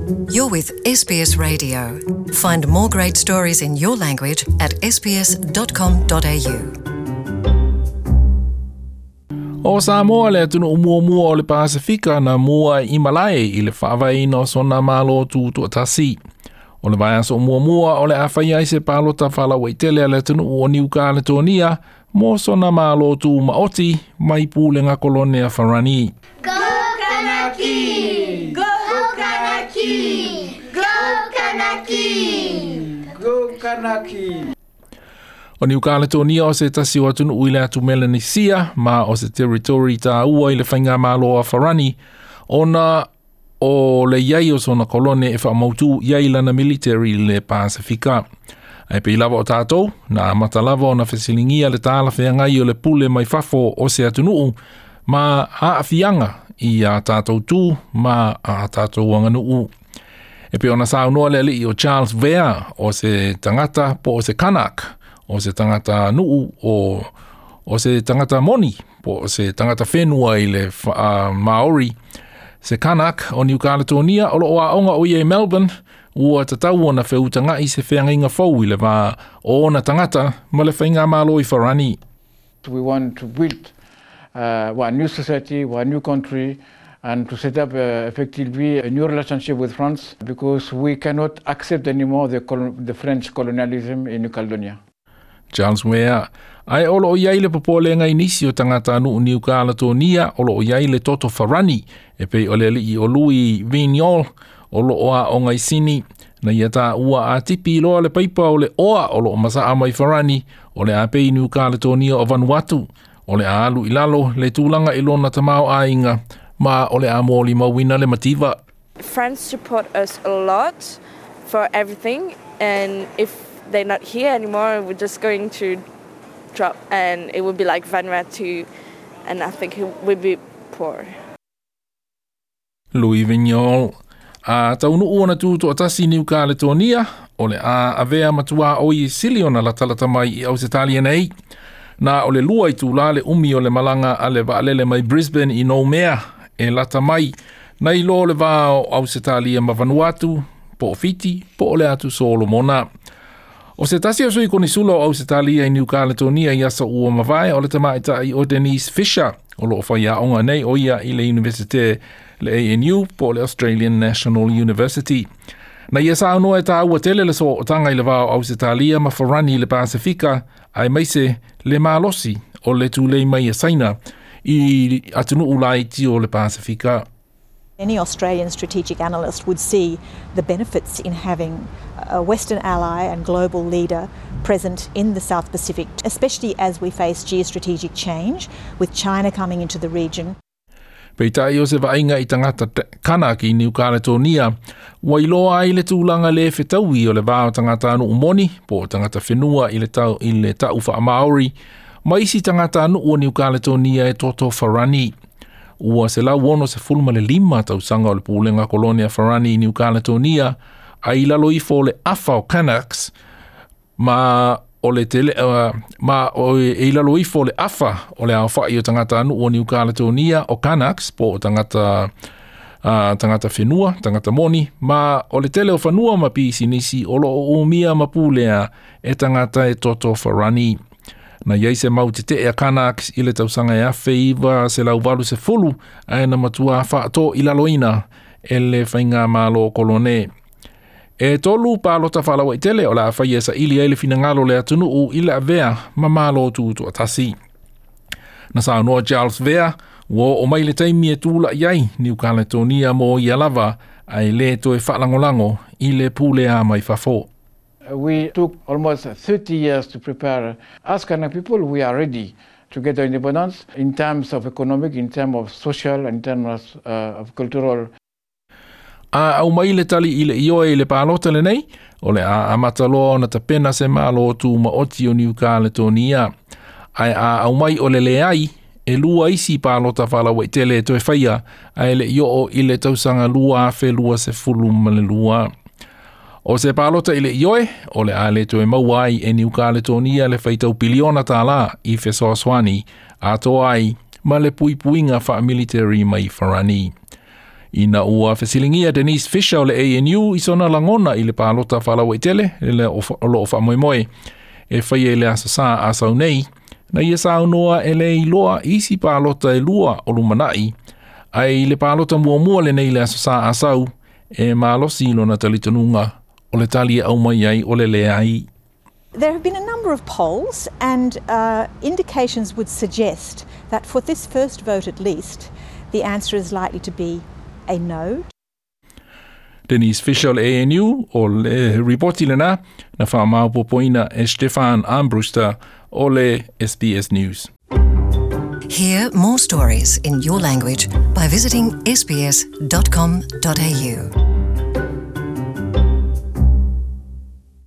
You're with SBS Radio. Find more great stories in your language at sbs.com.au. O Samoa le atunuu muamua o le Pasefika na mua i malae i le faavaeina o sona Malo Tutoatasi. O le vaiaso muamua o le a fai ai se palota faalauaitele a le atunuu o Niu Kaletonia mo sona Malo Tumaoti mai pulega kolone a Farani. Go Kanaki! Go Kanaki! Go Kanaki! Go Kanaki! O Niu Kaletonia o se tasi o atunuu i le atu Melanisia ma o se territory tāua i le faigamalo a Farani ona o le iai o sona kolone e faamautu iai lana military i le Pasefika. Ae pei lava o tātou, na amata lava ona fesiligia le talafeagai o le pule mai fafo o se atunuu ma aafiaga i a tātou tū ma a tātou aganuu. E pei ona saunoa le alii o Charles Vea o se tagata po o se Kanak, o se tagata nuu o, o se tagata moni po o se tagata whenua i le Maori, se Kanak o New Caledonia o loo aoga o ia i Melbourne, ua tatau ona feutaga'i se feagaiga fou i le va o ona tagata ma le faigamalo i Farani. We want to build one new society, one new country, and to set up effectively a new relationship with France, because we cannot accept anymore the French colonialism in New Caledonia. Charles Wea, ae o loo iai le popolega i nisi o tagatanuu Niu Kaletonia o loo iai le toto Farani, e pei o le alii o Louis Vignol o loo aoga i Sini. Na ia taua a tipi loa le paipa o le oa o loo masaa mai Farani, o le a pei Niu Kaletonia o Vanuatu, o le a alu i lalo le tulaga i lona tamaoaiga, ma o le a molimauina le mativa. France support us a lot for everything, and if they're not here anymore, we're just going to drop, and it will be like Vanuatu, and I think it will be poor. Louis Vignol. A taunuu ona tutoatasi Niu Kaletonia, o le a avea matua o i sili ona latalata mai i Ausetalia nei. Na o le 2 itula le umi o le malaga a le vaalele mai Brisbane i Noumea e lata mai, nai lo le va o Ausetalia ma Vanuatu, po o Fiti, po o le atu Solomona. O se tasi o sui konisula o Ausetalia i Niu Kaletonia i aso ua mavae o le tamaitai o Denise Fisher, o loo faiaoga nei o ia i le Universite le ANU po o le Australian National University. Na ia saunoa e tāua tele le sootaga i le va o Ausetalia ma Farani i le Pasefika, aemaise le malosi o le tulei mai a Saina i atunuu laiti o le Pasefika. Any Australian strategic analyst would see the benefits in having a Western ally and global leader present in the South Pacific, especially as we face geostrategic change with China coming into the region. Peitai o se vaaiga i tagata Kanak i Niu Kaletonia, ua iloa ai le tulaga le fetaui o le va o tagatanuu moni, po o tagata whenua i le tau, i le tau wha-Maori, ma isi tagatanuu o Niu Kaletonia e toto Farani. Ua 165 tausaga o le pulega kolonia Farani i Niu Kaletonia, a i lalo ifo o le afa o Kanaks, ma o le tele, ma o e i lalo ifo o le afa o le aofai o tagatanuu o Niu Kaletonia o Kanaks, po o tagata tagata whenua, tagata moni, ma o le tele o fanua ma pisinisi o loo umia ma pulea e tagata e toto Farani. Na iai se mau tetee a Kanaks i le tausaga e 1980, ae na matua faato i laloina e le faigamalo kolone. E 3 palota faalauaitele o le a faia e saili ai le finagalo o le atunuu i le avea ma malo tutoatasi. Na saunoa Charles Vea, ua oo mai le taimi e tula'i ai Niu Kaletonia mo ia lava, ae lē toe faalagolago i le pulea mai fafo. We took almost 30 years to prepare. As Kanak people, we are ready to get our independence in terms of economic, in terms of social, in terms of cultural. A aumai le tali i le ioe i le palota lenei, o le a amata loa ona tapena se malo tumaoti o Niu Kaletonia. Ae a aumai o le leai, e 2 isi palota faalauaitele e toe faia, ae le'i oo i le tausaga 2022. O se palota i le ioe, o le a le toe maua ai e Niu Kaletonia le faitau piliona tālā i fesoasoani atoa ai ma le puipuiga faamilitary mai Farani. Ina ua fesiligia Denise Fisher o le ANU i sona lagona i le palota faalauaitele le o loo faamoemoe e faia i le Aso Sā a sau nei, na ia saunoa e le iloa isi palota e lua o lumanai, ae i le palota muamua lenei le Aso Sā a sau, e malosi lona talitonuga o le tali e aumai ai o le leai. There have been a number of polls, and indications would suggest that for this first vote at least, the answer is likely to be a no. Denise Fisher o le ANU o le ripoti lena na faamaopoopoina e Stefan Armbruster o le SBS News. Hear more stories in your language by visiting sbs.com.au.